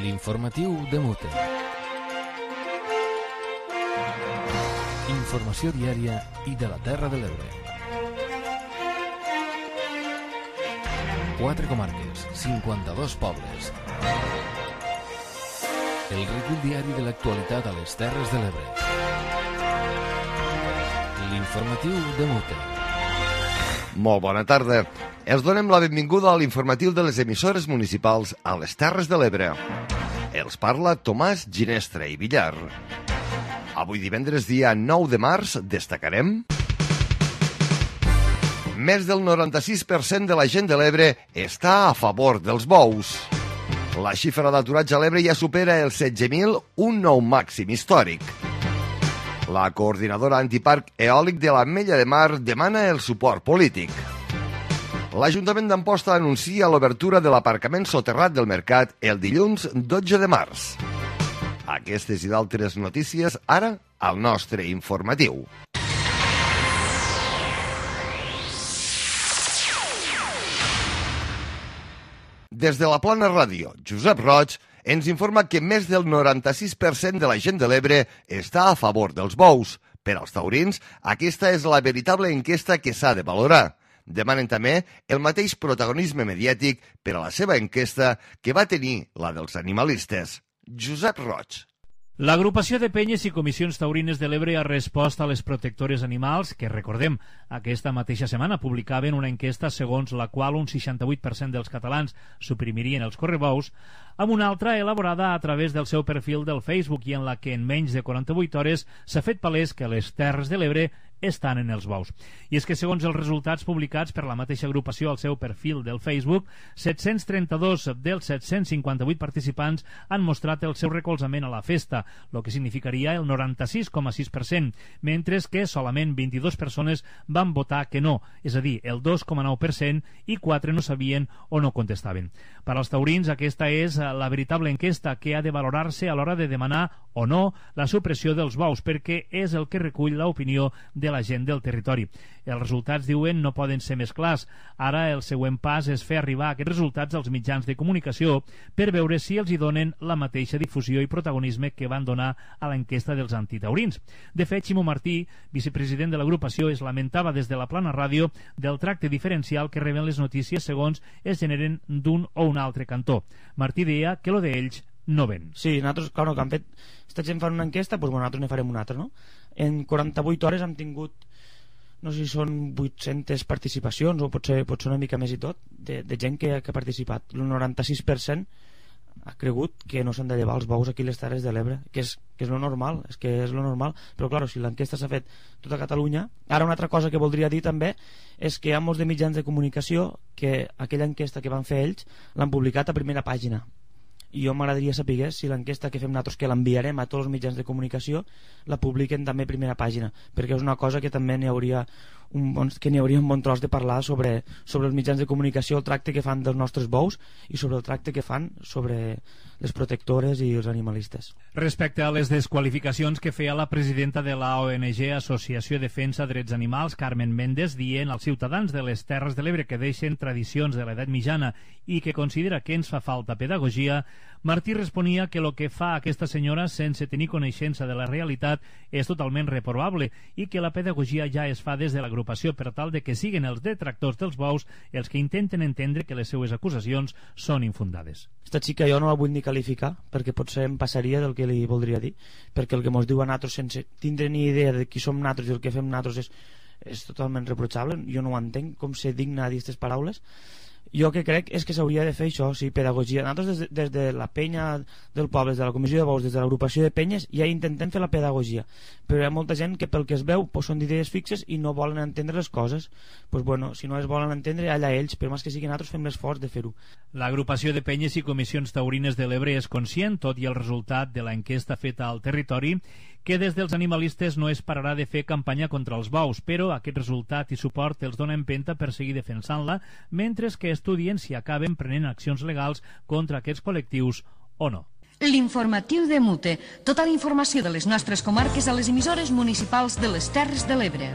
L'informatiu de Mute. Informació diària i de la Terra de l'Ebre. 4 comarques, 52 pobles. El recull diari de l'actualitat a les Terres de l'Ebre. L'informatiu de Mute. Molt bona tarda. Els donem la benvinguda a l'informatiu de les emissores municipals a les Terres de l'Ebre. Els parla Tomàs Ginestra i Villar. Avui divendres, dia 9 de març, destacarem... Més del 96% de la gent de l'Ebre està a favor dels bous. La xifra d'aturats a l'Ebre ja supera els 16.000, un nou màxim històric. La coordinadora antiparc eòlic de l'Ametlla de Mar demana el suport polític. L'Ajuntament d'Amposta anuncia l'obertura de l'aparcament soterrat del mercat el dilluns 12 de març. Aquestes i d'altres notícies ara al nostre informatiu. Des de la Plana Ràdio, Josep Roig ens informa que més del 96% de la gent de l'Ebre està a favor dels bous. Per als taurins, aquesta és la veritable enquesta que s'ha de valorar. Demanen també el mateix protagonisme mediàtic per a la seva enquesta que va tenir la dels animalistes. Josep Roig. L'agrupació de penyes i comissions taurines de l'Ebre ha respost a les protectores animals que, recordem, aquesta mateixa setmana publicaven una enquesta segons la qual un 68% dels catalans suprimirien els correbous, amb una altra elaborada a través del seu perfil del Facebook i en la que en menys de 48 hores s'ha fet palès que les Terres de l'Ebre estan en els bous. I és que segons els resultats publicats per la mateixa agrupació al seu perfil del Facebook, 732 dels 758 participants han mostrat el seu recolzament a la festa, el que significaria el 96,6%, mentre que solament 22 persones van votar que no, és a dir, el 2,9%, i 4 no sabien o no contestaven. Per als taurins, aquesta és la veritable enquesta que ha de valorar-se a l'hora de demanar o no la supressió dels bous, perquè és el que recull l'opinió de la gent del territori. Els resultats, diuen, no poden ser més clars. Ara el següent pas és fer arribar aquests resultats als mitjans de comunicació per veure si els hi donen la mateixa difusió i protagonisme que van donar a l'enquesta dels antitaurins. De fet, Ximo Martí, vicepresident de l'agrupació, es lamentava des de la Plana Ràdio del tracte diferencial que reben les notícies segons es generen d'un o un altre cantó. Martí deia que lo d'ells no ven. Sí, nosaltres, clar, que han fet... Esta gent fan una enquesta, doncs nosaltres ne farem una altra, no? En 48 hores hem tingut, no sé si són 800 participacions o potser una mica més i tot, de gent que ha participat. El 96% ha cregut que no s'han de llevar els bous aquí a les Terres de l'Ebre, que és lo normal, però clar, si l'enquesta s'ha fet tota Catalunya. Ara una altra cosa que voldria dir també és que hi ha molts de mitjans de comunicació que aquella enquesta que van fer ells l'han publicat a primera pàgina. I jo m'agradaria saber si l'enquesta que fem nosaltres, que l'enviarem a tots els mitjans de comunicació, la publiquen també a primera pàgina, perquè és una cosa que també n'hi hauria un bon tros de parlar sobre els mitjans de comunicació, el tracte que fan dels nostres bous i sobre el tracte que fan sobre les protectores i els animalistes. Respecte a les desqualificacions que feia la presidenta de la ONG Associació Defensa Drets Animals, Carmen Méndez, dient als ciutadans de les Terres de l'Ebre que deixen tradicions de l'edat mitjana i que considera que ens fa falta pedagogia, Martí responia que el que fa aquesta senyora sense tenir coneixença de la realitat és totalment reprovable i que la pedagogia ja es fa des de l'agrupació per tal de que siguin els detractors dels bous els que intenten entendre que les seues acusacions són infundades. Esta xica jo no la vull ni qualificar perquè potser em passaria del que li voldria dir, perquè el que mos diu a nosaltres sense tindre ni idea de qui som nosaltres i el que fem nosaltres és totalment reprochable. Jo no ho entenc, com ser digna de dir aquestes paraules. Jo que crec és que s'hauria de fer això, sí, pedagogia. Nosaltres des de la penya del poble, des de la comissió de bous, des de l'agrupació de penyes, ja intentem fer la pedagogia, però hi ha molta gent que pel que es veu són d'idees fixes i no volen entendre les coses. Bueno, si no es volen entendre, allà ells, però més que sigui nosaltres fem l'esforç de fer-ho. L'agrupació de penyes i comissions taurines de l'Ebre és conscient, tot i el resultat de l'enquesta feta al territori, que des dels animalistes no es pararà de fer campanya contra els bous, però aquest resultat i suport els dona empenta per seguir defensant-la, mentre que estudien si acaben prenent accions legals contra aquests col·lectius o no. L'informatiu de Mute. Tota la informació de les nostres comarques a les emissores municipals de les Terres de l'Ebre.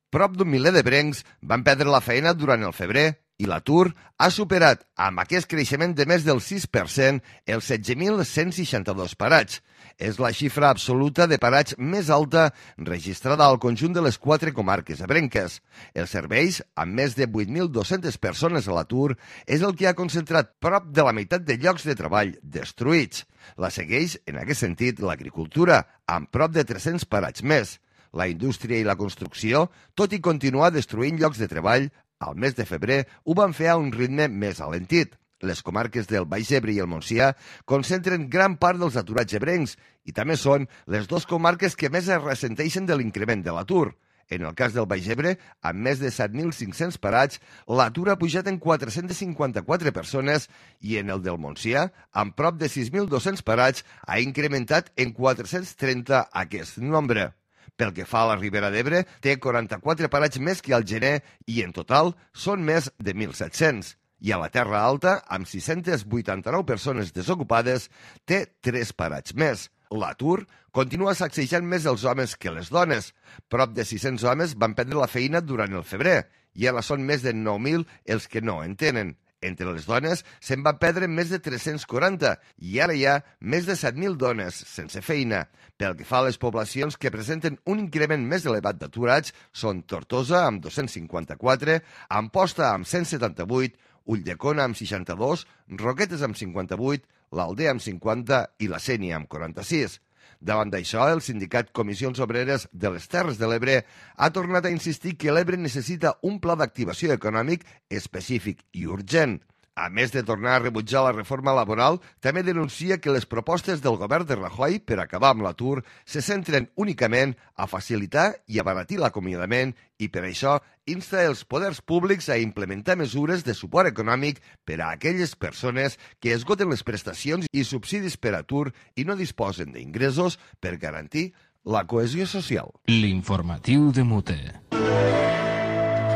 Prop d'un miler d'ebrencs van perdre la feina durant el febrer i l'atur ha superat, amb aquest creixement de més del 6%, els 16.162 parats. És la xifra absoluta de parats més alta registrada al conjunt de les 4 comarques ebrenques. Els serveis, amb més de 8.200 persones a l'atur, és el que ha concentrat prop de la meitat de llocs de treball destruïts. La segueix, en aquest sentit, l'agricultura, amb prop de 300 parats més. La indústria i la construcció, tot i continuar destruint llocs de treball, al mes de febrer ho van fer a un ritme més alentit. Les comarques del Baix Ebre i el Montsià concentren gran part dels aturats ebrencs i també són les 2 comarques que més es ressenteixen de l'increment de l'atur. En el cas del Baix Ebre, amb més de 7.500 parats, l'atur ha pujat en 454 persones i en el del Montsià, amb prop de 6.200 parats, ha incrementat en 430 aquest nombre. Pel que fa a la Ribera d'Ebre, té 44 parats més que al gener i en total són més de 1.700. I a la Terra Alta, amb 689 persones desocupades, té 3 parats més. L'atur continua sacsejant més els homes que les dones. Prop de 600 homes van perdre la feina durant el febrer i ara són més de 9.000 els que no en tenen. Entre les dones se'n van perdre més de 340 i ara hi ha més de 7.000 dones sense feina. Pel que fa a les poblacions que presenten un increment més elevat d'aturats són Tortosa amb 254, Amposta amb 178, Ulldecona amb 62, Roquetes amb 58, l'Aldea amb 50 i la Sénia amb 46. Davant d'això, el sindicat Comissions Obreres de les Terres de l'Ebre ha tornat a insistir que l'Ebre necessita un pla d'activació econòmic específic i urgent. A més de tornar a rebutjar la reforma laboral, també denuncia que les propostes del govern de Rajoy per acabar amb l'atur se centren únicament a facilitar i abaratir l'acomiadament i per això insta els poders públics a implementar mesures de suport econòmic per a aquelles persones que esgoten les prestacions i subsidis per atur i no disposen d'ingressos per garantir la cohesió social. L'informatiu de Mute.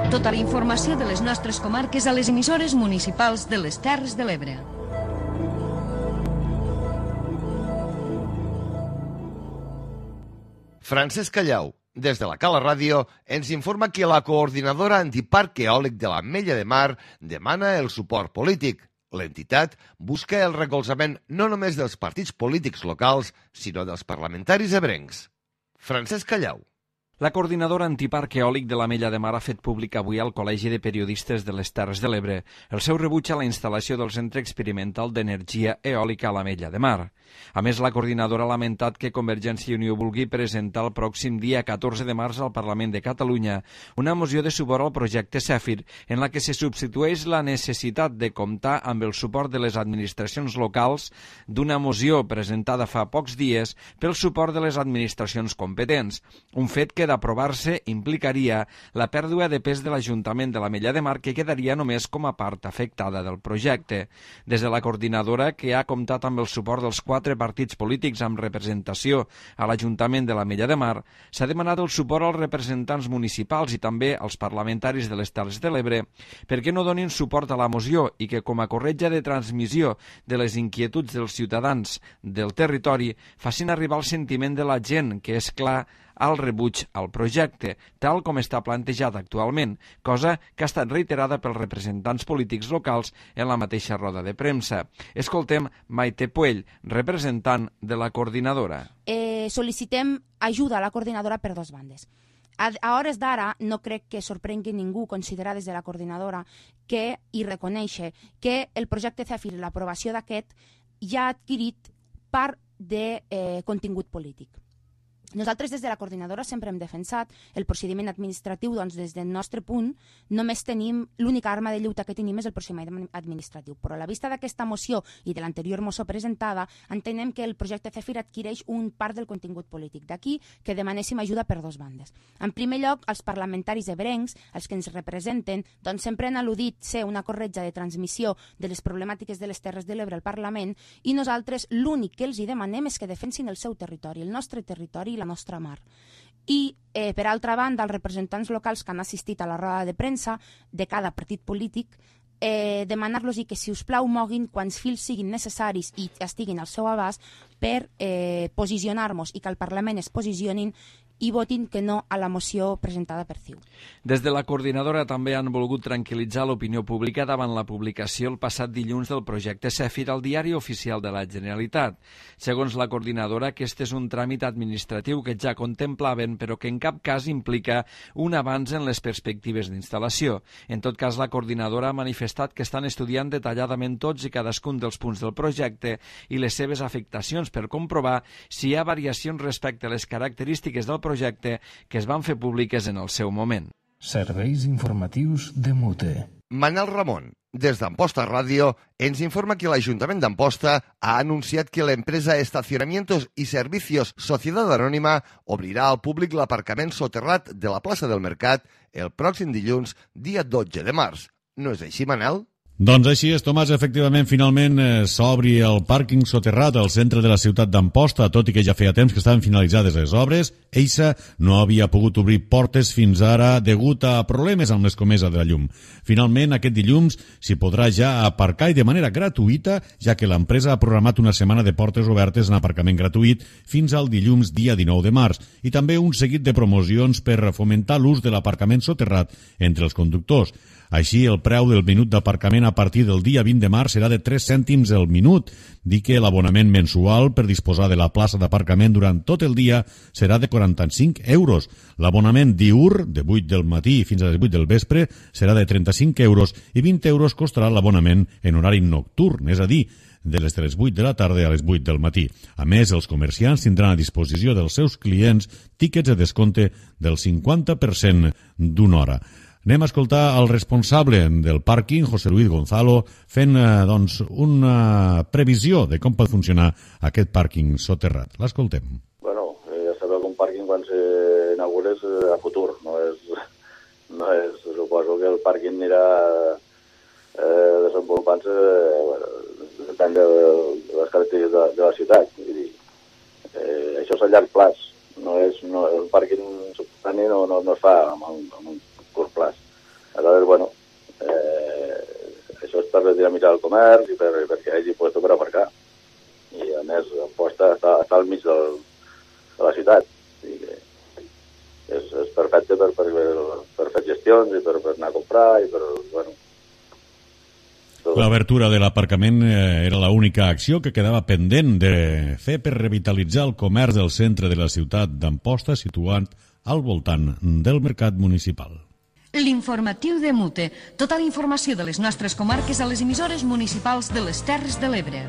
Tota la informació de les nostres comarques a les emissores municipals de les Terres de l'Ebre. Francesc Callau, des de la Cala Ràdio, ens informa que la coordinadora antiparc eòlic de l'Ametlla de Mar demana el suport polític. L'entitat busca el recolzament no només dels partits polítics locals, sinó dels parlamentaris ebrencs. Francesc Callau. La coordinadora antiparc eòlic de l'Ametlla de Mar ha fet públic avui al Col·legi de Periodistes de les Terres de l'Ebre el seu rebuig a la instal·lació del Centre Experimental d'Energia Eòlica a l'Ametlla de Mar. A més, la coordinadora ha lamentat que Convergència i Unió vulgui presentar el pròxim dia 14 de març al Parlament de Catalunya una moció de suport al projecte Zèfir, en la que se substitueix la necessitat de comptar amb el suport de les administracions locals d'una moció presentada fa pocs dies pel suport de les administracions competents, un fet que d'aprovar-se implicaria la pèrdua de pes de l'Ajuntament de l'Ametlla de Mar, que quedaria només com a part afectada del projecte. Des de la coordinadora, que ha comptat amb el suport dels 4 partits polítics amb representació a l'Ajuntament de l'Ametlla de Mar, s'ha demanat el suport als representants municipals i també als parlamentaris de les Terres de l'Ebre perquè no donin suport a la moció i que, com a corretja de transmissió de les inquietuds dels ciutadans del territori, facin arribar el sentiment de la gent, que és clar, al rebuig al projecte, tal com està plantejat actualment, cosa que ha estat reiterada pels representants polítics locals en la mateixa roda de premsa. Escoltem Maite Puell, representant de la coordinadora. Sol·licitem ajuda a la coordinadora per 2 bandes. A hores d'ara no crec que sorprengui ningú considerar des de la coordinadora que i reconèixer que el projecte Zèfir i l'aprovació d'aquest ja ha adquirit part de contingut polític. Nosaltres des de la coordinadora sempre hem defensat el procediment administratiu, doncs des del nostre punt només tenim, l'única arma de lluita que tenim és el procediment administratiu, però a la vista d'aquesta moció i de l'anterior moció presentada entenem que el projecte Zèfir adquireix un part del contingut polític, d'aquí que demanéssim ajuda per 2 bandes. En primer lloc, els parlamentaris ebrencs, els que ens representen, doncs sempre han al·ludit ser una corretja de transmissió de les problemàtiques de les Terres de l'Ebre al Parlament i nosaltres l'únic que els hi demanem és que defensin el seu territori, el nostre territori i la nostra mar. I, per altra banda, els representants locals que han assistit a la roda de premsa de cada partit polític, demanar-los que, si us plau, moguin quants fils siguin necessaris i estiguin al seu abast per posicionar-nos i que al Parlament es posicionin i votin que no a la moció presentada per CiU. Des de la coordinadora també han volgut tranquil·litzar l'opinió pública davant la publicació el passat dilluns del projecte CEFIR al Diari Oficial de la Generalitat. Segons la coordinadora, aquest és un tràmit administratiu que ja contemplaven, però que en cap cas implica un avanç en les perspectives d'instal·lació. En tot cas, la coordinadora ha manifestat que estan estudiant detalladament tots i cadascun dels punts del projecte i les seves afectacions per comprovar si hi ha variacions respecte a les característiques del projecte que es van fer públiques en el seu moment. Serveis informatius de MUTE. Manel Ramon, des d'Amposta Ràdio, ens informa que l'Ajuntament d'Amposta ha anunciat que l'empresa Estacionamientos y Servicios Sociedad Anònima obrirà al públic l'aparcament soterrat de la plaça del Mercat el pròxim dilluns, dia 12 de març. No és així, Manel? Doncs així és, Tomàs. Efectivament, finalment s'obri el pàrquing soterrat al centre de la ciutat d'Amposta, tot i que ja feia temps que estaven finalitzades les obres. Eixa no havia pogut obrir portes fins ara degut a problemes amb l'escomesa de la llum. Finalment, aquest dilluns s'hi podrà ja aparcar i de manera gratuïta, ja que l'empresa ha programat una setmana de portes obertes en aparcament gratuït fins al dilluns dia 19 de març i també un seguit de promocions per fomentar l'ús de l'aparcament soterrat entre els conductors. Així, el preu del minut d'aparcament a partir del dia 20 de març serà de 3 cèntims el minut. Dir que l'abonament mensual per disposar de la plaça d'aparcament durant tot el dia serà de 45 euros. L'abonament diürn, de 8 del matí fins a les 8 del vespre, serà de 35 euros i 20 euros costarà l'abonament en horari nocturn, és a dir, de les 8 de la tarda a les 8 del matí. A més, els comerciants tindran a disposició dels seus clients tíquets de descompte del 50% d'una hora. Anem a escoltar el responsable del pàrquing, José Luis Gonzalo, fent una previsió de com pot funcionar aquest pàrquing soterrat. L'escoltem. Bueno, ja sabeu que un pàrquing quan s'inaugura és a futur, no és, suposo que el pàrquing anirà desenvolupant-se, depèn de les característiques de la ciutat. Vull dir, això és a llarg plaç, el pàrquing subterrani no es fa amb un curt plaç. Aleshores, bueno, això és per dinamitzar el comerç i perquè hi hagi lloc per aparcar. I, a més, Amposta està al mig de la ciutat. I és perfecte per fer gestions i per anar a comprar i per, bueno... L'obertura de l'aparcament era l'única acció que quedava pendent de fer per revitalitzar el comerç del centre de la ciutat d'Amposta, situat al voltant del mercat municipal. L'informatiu de MUTE. Tota la informació de les nostres comarques a les emissores municipals de les Terres de l'Ebre.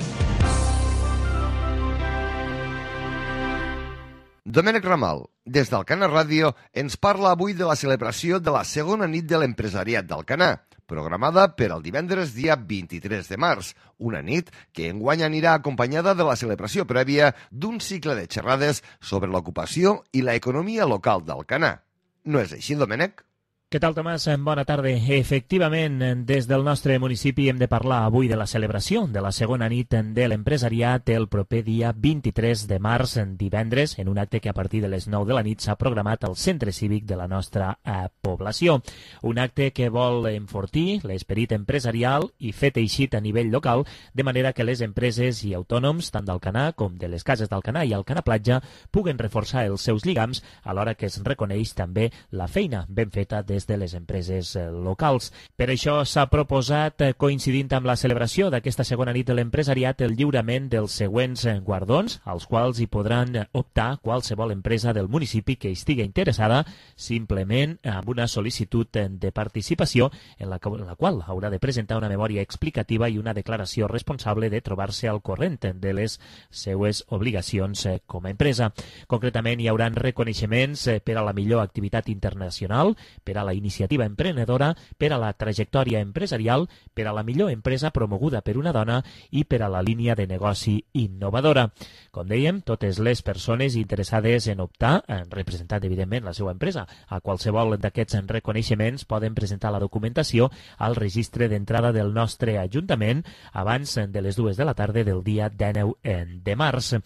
Domènec Ramal, des d'Alcanar Ràdio, ens parla avui de la celebració de la segona nit de l'empresariat d'Alcanar, programada per al divendres dia 23 de març, una nit que enguany anirà acompanyada de la celebració prèvia d'un cicle de xerrades sobre l'ocupació i l'economia local d'Alcanar. No és així, Domènec? Què tal, Tomàs? Bona tarda. Efectivament, des del nostre municipi hem de parlar avui de la celebració de la segona nit de l'empresariat el proper dia 23 de març, divendres, en un acte que a partir de les 9 de la nit s'ha programat al centre cívic de la nostra població. Un acte que vol enfortir l'esperit empresarial i fet eixit a nivell local, de manera que les empreses i autònoms, tant d'Alcanar com de les cases d'Alcanar i Alcanar Platja, puguen reforçar els seus lligams, alhora que es reconeix també la feina ben feta des de les empreses locals. Per això s'ha proposat, coincidint amb la celebració d'aquesta segona nit de l'empresariat, el lliurament dels següents guardons, als quals hi podran optar qualsevol empresa del municipi que estigui interessada, simplement amb una sol·licitud de participació en la qual haurà de presentar una memòria explicativa i una declaració responsable de trobar-se al corrent de les seues obligacions com a empresa. Concretament, hi haurà reconeixements per a la millor activitat internacional, per a la iniciativa emprenedora, per a la trajectòria empresarial, per a la millor empresa promoguda per una dona i per a la línia de negoci innovadora. Com dèiem, totes les persones interessades en optar, representant evidentment la seva empresa, a qualsevol d'aquests reconeixements poden presentar la documentació al registre d'entrada del nostre Ajuntament abans de les 2 de la tarda del dia 19 de març.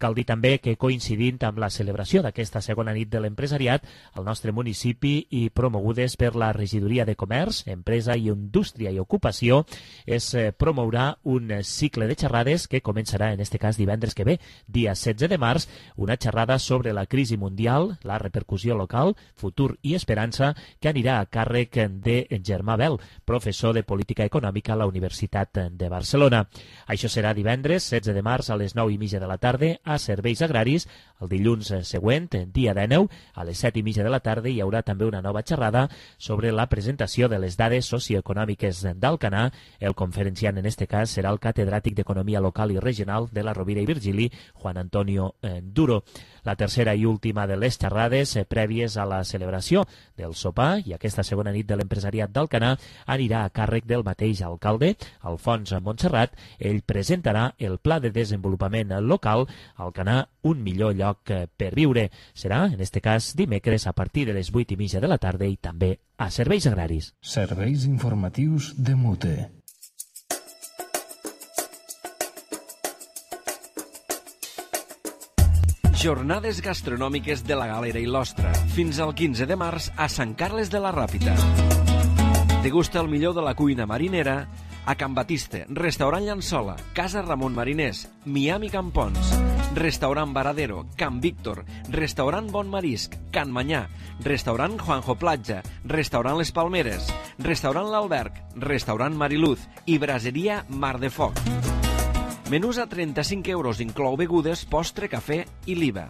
Cal dir també que, coincidint amb la celebració d'aquesta segona nit de l'empresariat, el nostre municipi i promogut promogudes per la Regidoria de Comerç, Empresa i Indústria i Ocupació, es promourà un cicle de xerrades que començarà en este cas divendres que ve, dia 16 de març, una xerrada sobre la crisi mundial, la repercussió local, futur i esperança, que anirà a càrrec de Germà Bel, professor de Política Econòmica a la Universitat de Barcelona. Això serà divendres 16 de març a les 9:30 de la tarda a Serveis Agraris. El dilluns següent, dia 19, a les 7:30 de la tarda, hi haurà també una nova xerrada sobre la presentació de les dades socioeconòmiques d'Alcanar. El conferenciant en este cas serà el catedràtic d'Economia Local i Regional de la Rovira i Virgili, Juan Antonio Duro. La tercera i última de les xerrades prèvies a la celebració del sopar i aquesta segona nit de l'empresariat d'Alcanar anirà a càrrec del mateix alcalde, Alfons Montserrat. Ell presentarà el Pla de Desenvolupament Local Alcanar, un millor lloc per viure. Serà, en este cas, dimecres a partir de les 8:30 de la tarda i també a Serveis Agraris. Serveis informatius de Mute. Jornades gastronòmiques de la Galera i l'Ostra, fins al 15 de març a Sant Carles de la Ràpita. Degusta el millor de la cuina marinera a Can Batiste, Restaurant Llançola, Casa Ramon Mariners, Miami Campons, Restaurant Varadero, Can Víctor, Restaurant Bon Marisc, Can Manyà, Restaurant Juanjo Platja, Restaurant Les Palmeres, Restaurant L'Alberg, Restaurant Mariluz i Braseria Mar de Foc. Menús a 35 euros, inclou begudes, postre, cafè i l'IVA.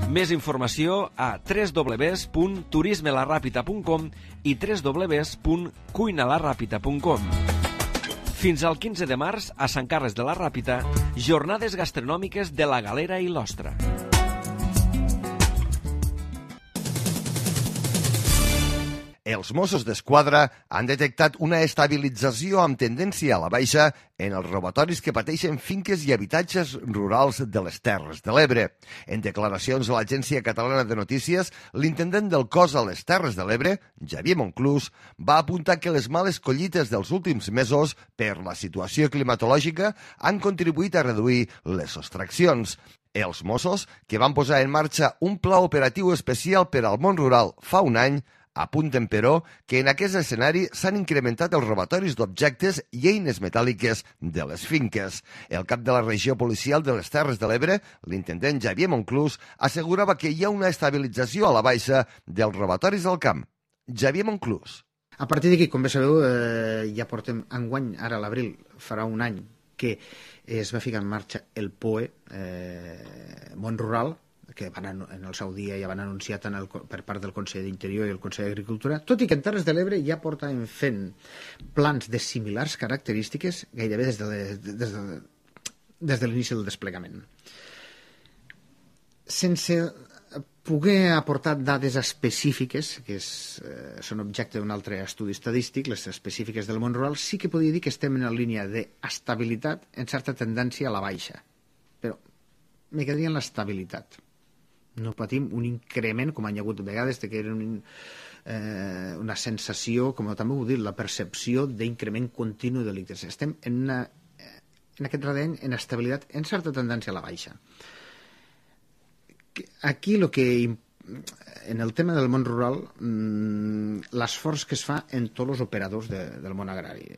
Més informació a www.turismelarrapita.com i www.cuinalarrapita.com. Fins al 15 de març, a Sant Carles de la Ràpita, jornades gastronòmiques de la Galera i l'Ostra. Els Mossos d'Esquadra han detectat una estabilització amb tendència a la baixa en els robatoris que pateixen finques i habitatges rurals de les Terres de l'Ebre. En declaracions a l'Agència Catalana de Notícies, l'intendent del cos a les Terres de l'Ebre, Xavier Monclús, va apuntar que les males collites dels últims mesos per la situació climatològica han contribuït a reduir les sostraccions. Els Mossos, que van posar en marxa un pla operatiu especial per al món rural fa un any, apunten, però, que en aquest escenari s'han incrementat els robatoris d'objectes i eines metàl·liques de les finques. El cap de la regió policial de les Terres de l'Ebre, l'intendent Xavier Monclús, assegurava que hi ha una estabilització a la baixa dels robatoris al camp. Xavier Monclús. A partir d'aquí, com bé sabeu, ja portem enguany, ara a l'abril, farà un any, que es va ficar en marxa el POE, Món Rural, que en el seu dia ja van anunciar per part del Consell d'Interior i el Consell d'Agricultura, tot i que en Terres de l'Ebre ja porten fent plans de similars característiques gairebé des de l'inici del desplegament. Sense poder aportar dades específiques, que són objecte d'un altre estudi estadístic, les específiques del món rural, sí que podria dir que estem en la línia d'estabilitat en certa tendència a la baixa. Però me quedaria en l'estabilitat. No patim un increment, com han hi hagut vegades, que era una sensació, com també ho he dit, la percepció d'increment continu de delictes. Estem en aquest redeny en estabilitat, en certa tendència a la baixa. Aquí en el tema del món rural, l'esforç que es fa en tots els operadors del món agrari.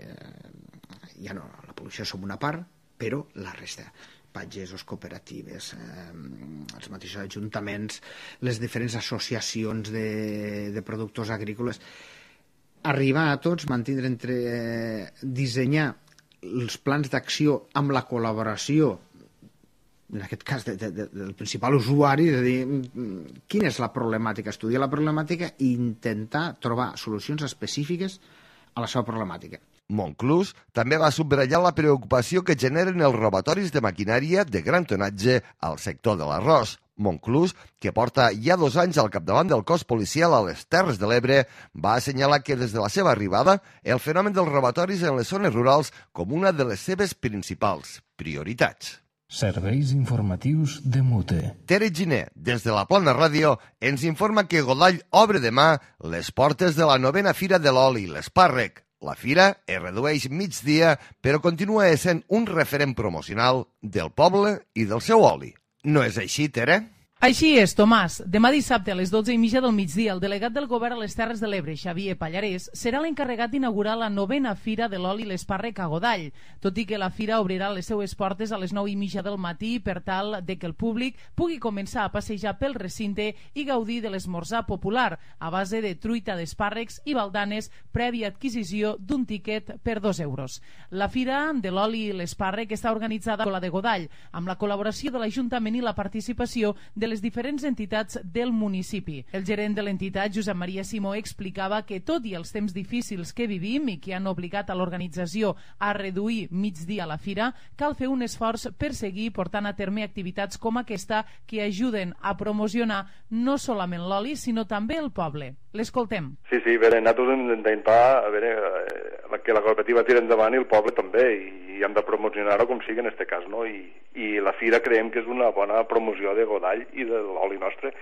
Ja no, la població som una part, però la resta. Pagesos, cooperatives, els mateixos ajuntaments, les diferents associacions de productors agrícoles. Arribar a tots, mantindre dissenyar els plans d'acció amb la col·laboració, en aquest cas del principal usuari, és a dir, quina és la problemàtica, estudiar la problemàtica i intentar trobar solucions específiques a la seva problemàtica. Monclús també va subratllar la preocupació que generen els robatoris de maquinària de gran tonatge al sector de l'arròs. Monclús, que porta ja 2 anys al capdavant del cos policial a les Terres de l'Ebre, va assenyalar que des de la seva arribada el fenomen dels robatoris en les zones rurals com una de les seves principals prioritats. Serveis informatius de Mute. Tere Giner, des de la Plana Ràdio, ens informa que Godall obre demà les portes de la 9a Fira de l'Oli i l'Espàrrec. La fira es redueix migdia, però continua essent un referent promocional del poble i del seu oli. No és així, Tere? Així és, Tomàs. Demà dissabte a les 12:30 del migdia, el delegat del govern a les Terres de l'Ebre, Xavier Pallarès, serà l'encarregat d'inaugurar la 9a Fira de l'Oli i l'Espàrrec a Godall, tot i que la fira obrirà les seues portes a les 9:30 del matí per tal de que el públic pugui començar a passejar pel recinte i gaudir de l'esmorzar popular a base de truita d'espàrrecs i baldanes prèvia adquisició d'un tiquet per 2 euros. La Fira de l'Oli i l'Espàrrec està organitzada per la de Godall, amb la col·laboració de l'Ajuntament i la participació de les diferents entitats del municipi. El gerent de l'entitat, Josep Maria Simó, explicava que tot i els temps difícils que vivim i que han obligat a l'organització a reduir migdia la fira, cal fer un esforç per seguir portant a terme activitats com aquesta que ajuden a promocionar no solament l'oli, sinó també el poble. L'escoltem. Sí, a veure, nosaltres hem d'intentar que la cooperativa tiri endavant i el poble també, i hem de promocionar-ho com sigui en aquest cas, no? I la fira creiem que és una bona promoció de Godall i de l'oli nostre,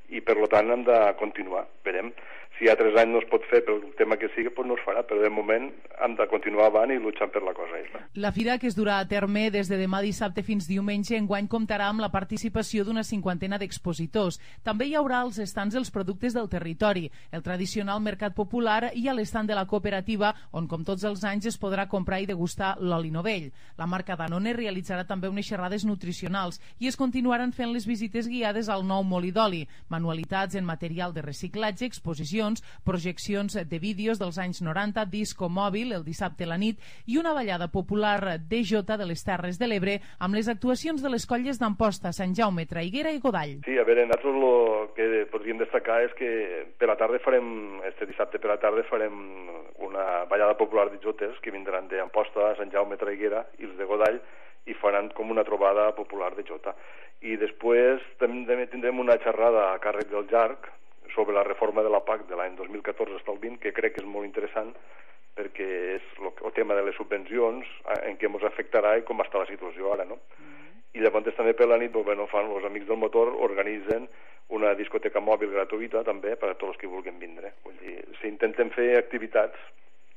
i per tant hem de continuar. Verem. Si hi ha 3 anys no es pot fer pel tema que sigui, doncs no es farà, però de moment hem de continuar avant i luchant per la cosa. La fira, que es durà a terme des de demà dissabte fins diumenge, enguany comptarà amb la participació d'una 50ena d'expositors. També hi haurà als estants dels productes del territori, el tradicional mercat popular i a l'estant de la cooperativa, on com tots els anys es podrà comprar i degustar l'oli novell. La marca Danone realitzarà també unes xerrades nutricionals i es continuaran fent les visites guiades al nou molí d'oli, manualitats en material de reciclatge, exposicions, projeccions de vídeos dels anys 90, disco mòbil el dissabte a la nit i una ballada popular de jota de les Terres de l'Ebre amb les actuacions de les colles d'Amposta, Sant Jaume, Traiguera i Godall. Sí, a veure, nosaltres el que podríem destacar és que per la tarda este dissabte per la tarda farem una ballada popular de jotes que vindran d'Amposta, Sant Jaume, Traiguera i els de Godall, i faran com una trobada popular de jota. I després també tindrem una xerrada a càrrec del Llarg sobre la reforma de la PAC de l'any 2014 fins al 20, que crec que és molt interessant perquè és el tema de les subvencions en què ens afectarà i com està la situació ara, no? I llavors també per la nit, els amics del motor organitzen una discoteca mòbil gratuïta també per a tots els que vulguin vindre. Vull dir, s'intenten fer activitats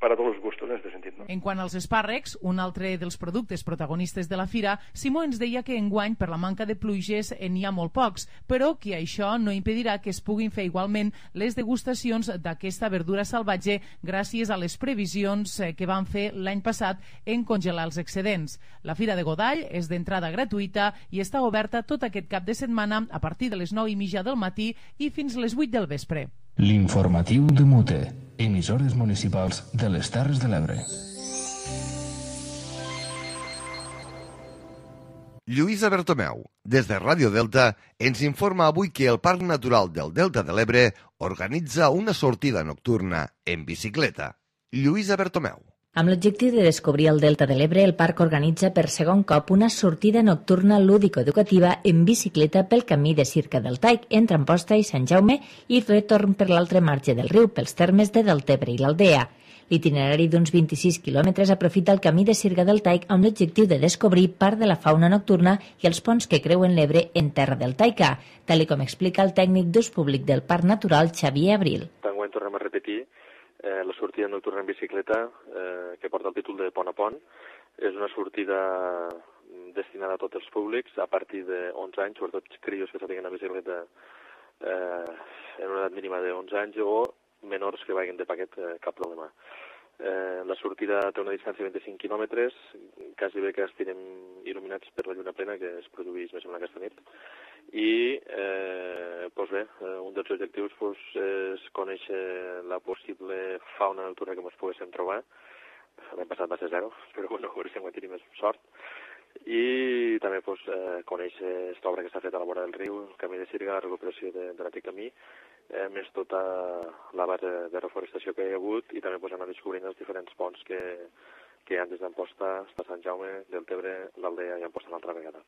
per a tots els gustos en aquest sentit, no? En quant als espàrrecs, un altre dels productes protagonistes de la fira, Simó ens deia que enguany per la manca de pluges n'hi ha molt pocs, però que això no impedirà que es puguin fer igualment les degustacions d'aquesta verdura salvatge gràcies a les previsions que van fer l'any passat en congelar els excedents. La Fira de Godall és d'entrada gratuïta i està oberta tot aquest cap de setmana a partir de les 9:30 del matí i fins les 8 del vespre. L'informatiu de Mute, emissores municipals de les Terres de l'Ebre. Lluïsa Bertomeu, des de Ràdio Delta, ens informa avui que el Parc Natural del Delta de l'Ebre organitza una sortida nocturna en bicicleta. Lluïsa Bertomeu. Amb l'objectiu de descobrir el Delta de l'Ebre, el parc organitza per segon cop una sortida nocturna lúdico-educativa en bicicleta pel camí de Circa del Taic, entre Amposta i Sant Jaume, i retorn per l'altre marge del riu, pels termes de Deltebre i l'Aldea. L'itinerari d'uns 26 quilòmetres aprofita el camí de Circa del Taic amb l'objectiu de descobrir part de la fauna nocturna i els ponts que creuen l'Ebre en terra deltaica, tal com explica el tècnic d'ús públic del Parc Natural, Xavier Abril. Enguany tornem a repetir la sortida nocturna en bicicleta que porta el títol de Pont a Pont. És una sortida destinada a tots els públics a partir de 11 anys, sobretot crios que s'apiguen a bicicleta en una edat mínima de 11 anys o menors que vagin de paquet, cap problema. La sortida té una distància de 25 quilòmetres, quasi bé que estirem il·luminats per la lluna plena que es produeix més o menys aquesta nit. I un dels objectius és conèixer la possible fauna nocturna que ens poguéssim trobar. L'any passat va ser 0, però bueno, a veure si hem tingut més sort. I també conèixer aquesta obra que s'ha fet a la vora del riu, el camí de Sirga, la recuperació de l'antic camí, més tota la base de reforestació que hi ha hagut i també anar descobrint els diferents ponts que hi ha des d'Amposta fins a Sant Jaume, Deltebre, l'Aldea i Amposta l'altra vegada.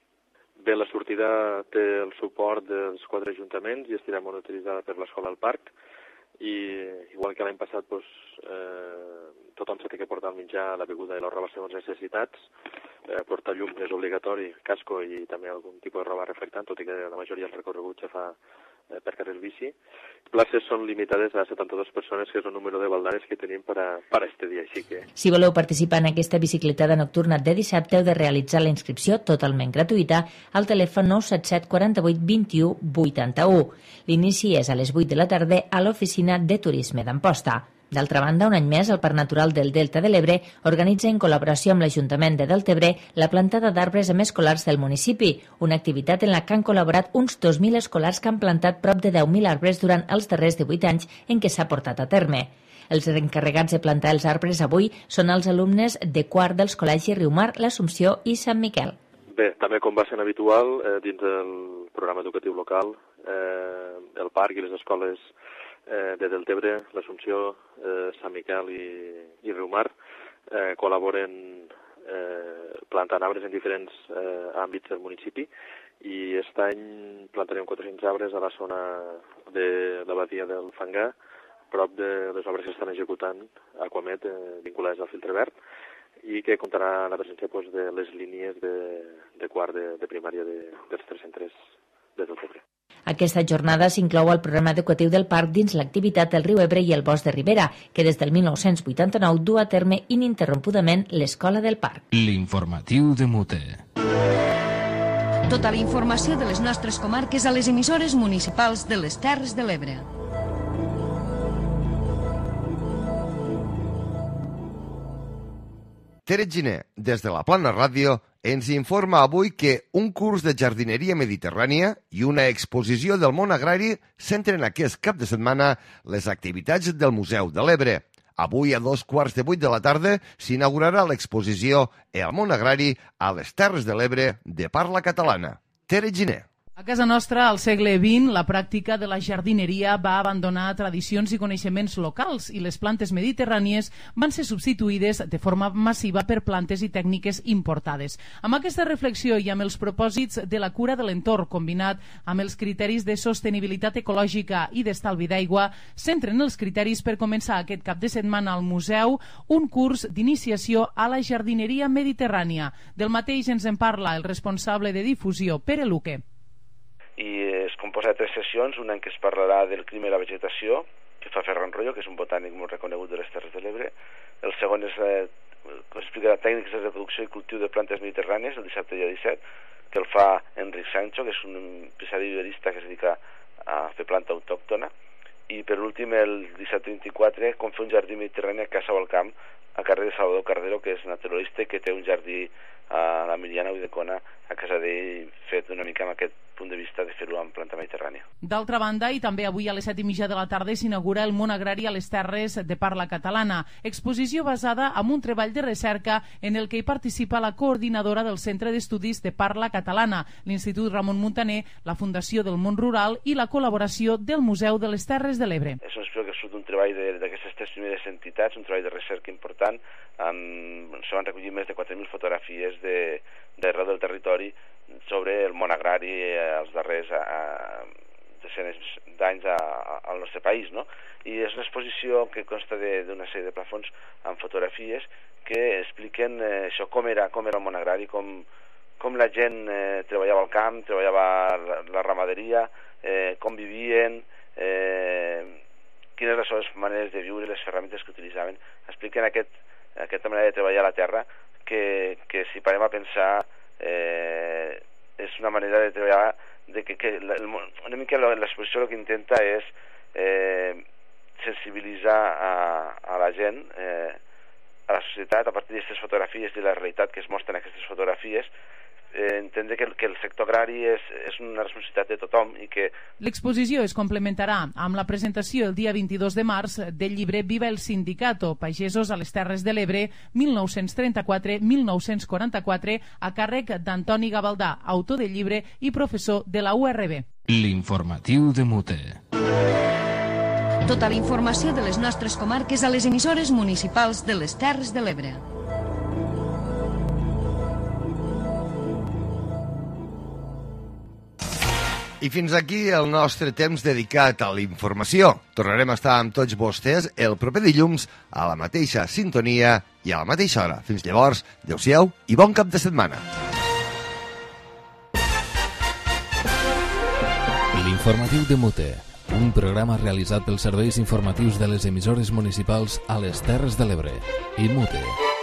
Bé, la sortida té el suport dels 4 ajuntaments i estirà monitoritzada per l'Escola del Parc i igual que l'any passat tothom s'ha de portar el menjar, la beguda i la roba segons necessitats. Portar llum és obligatori, casco i també algun tipus de roba reflectant, tot i que la majoria dels recorreguts ja fa per carril bici. Places són limitades a 72 persones, que és el número de baldanes que tenim per a este dia. Així que... Si voleu participar en aquesta bicicletada nocturna de dissabte, heu de realitzar la inscripció totalment gratuïta al telèfon 977 48 21 81. L'inici és a les 8 de la tarda a l'oficina de turisme d'Amposta. D'altra banda, un any més, el Parc Natural del Delta de l'Ebre organitza en col·laboració amb l'Ajuntament de Deltebre la plantada d'arbres amb escolars del municipi, una activitat en la que han col·laborat uns 2.000 escolars que han plantat prop de 10.000 arbres durant els darrers 18 anys en què s'ha portat a terme. Els encarregats de plantar els arbres avui són els alumnes de quart dels col·legis Riumar, l'Assumpció i Sant Miquel. Bé, també com va sent habitual, dins del programa educatiu local, el parc i les escoles de Deltebre, l'Assumpció, Sant Miquel i Riumar col·laboren plantant arbres en diferents àmbits del municipi, i aquest any plantarem 400 arbres a la zona de la badia del Fangar, prop de les obres que estan executant Aquamet vinculades al filtre verd, i que comptarà la presència de les línies de quart de primària dels 3 centres de Deltebre. Aquesta jornada s'inclou al programa educatiu del parc dins l'activitat del riu Ebre i el bosc de Ribera, que des del 1989 du a terme ininterrompudament l'Escola del Parc. L'informatiu de Mute. Tota la informació de les nostres comarques a les emissores municipals de les Terres de l'Ebre. Tere Giner, des de la Plana Ràdio, ens informa avui que un curs de jardineria mediterrània i una exposició del món agrari centren aquest cap de setmana les activitats del Museu de l'Ebre. Avui a 7:15 de la tarda s'inaugurarà l'exposició El món agrari a les Terres de l'Ebre de parla catalana. Tere Giner. A casa nostra, al segle XX, la pràctica de la jardineria va abandonar tradicions i coneixements locals i les plantes mediterrànies van ser substituïdes de forma massiva per plantes i tècniques importades. Amb aquesta reflexió i amb els propòsits de la cura de l'entorn combinat amb els criteris de sostenibilitat ecològica i d'estalvi d'aigua, centren els criteris per començar aquest cap de setmana al museu un curs d'iniciació a la jardineria mediterrània. Del mateix ens en parla el responsable de difusió, Pere Luque. I es composa de 3 sessions, una en què es parlarà del clima i la vegetació, que fa Ferran Rollo, que és un botànic molt reconegut de les Terres de l'Ebre. El segon és explicarà tècniques de reproducció i cultiu de plantes mediterrànies, el dissabte dia 17, que el fa Enric Sancho, que és un empresari viverista que es dedica a fer planta autòctona. I per últim, el dissabte 24, com fer un jardí mediterrani a Casa o al Camp, a carrer de Salvador Cardero, que és naturalista i que té un jardí a la Miliana Uidecona a casa d'ell, fet una mica amb aquest punt de vista de fer-ho amb planta mediterrània. D'altra banda, i també avui a les 7:30 de la tarda s'inaugura el món agrari a les terres de parla catalana, exposició basada en un treball de recerca en el que hi participa la coordinadora del Centre d'Estudis de Parla Catalana, l'Institut Ramon Muntaner, la Fundació del Món Rural i la col·laboració del Museu de les Terres de l'Ebre. És un que surt un treball d'aquestes 3 primeres entitats, un treball de recerca important. Se van recollir més de 4.000 fotografies d'arreu del territori sobre el món agrari els darrers desenes d'anys al nostre país, no? I és una exposició que consta d'una sèrie de plafons amb fotografies que expliquen això, com era el món agrari, com la gent treballava al camp, treballava la ramaderia, com vivien, quines les seves maneres de viure, les ferramentes que utilitzaven. Expliquen aquesta manera de treballar a la terra que si parem a pensar és una manera de treballar una mica l'exposició el que intenta és sensibilitzar a la gent, a la societat, a partir d'aquestes fotografies i la realitat que es mostren aquestes fotografies, entendre que el sector agrari és una responsabilitat de tothom i que... L'exposició es complementarà amb la presentació el dia 22 de març del llibre Viva el Sindicato, Pagesos a les Terres de l'Ebre, 1934-1944, a càrrec d'Antoni Gavaldà, autor del llibre i professor de la URB. L'informatiu de Mute. Tota la informació de les nostres comarques a les emissores municipals de les Terres de l'Ebre. I fins aquí el nostre temps dedicat a la informació. Tornarem a estar amb tots vostès el proper dilluns a la mateixa sintonia i a la mateixa hora. Fins llavors, adeu-siau i bon cap de setmana. L'informatiu de Mute, un programa realitzat pels serveis informatius de les emissores municipals a les Terres de l'Ebre i Mute.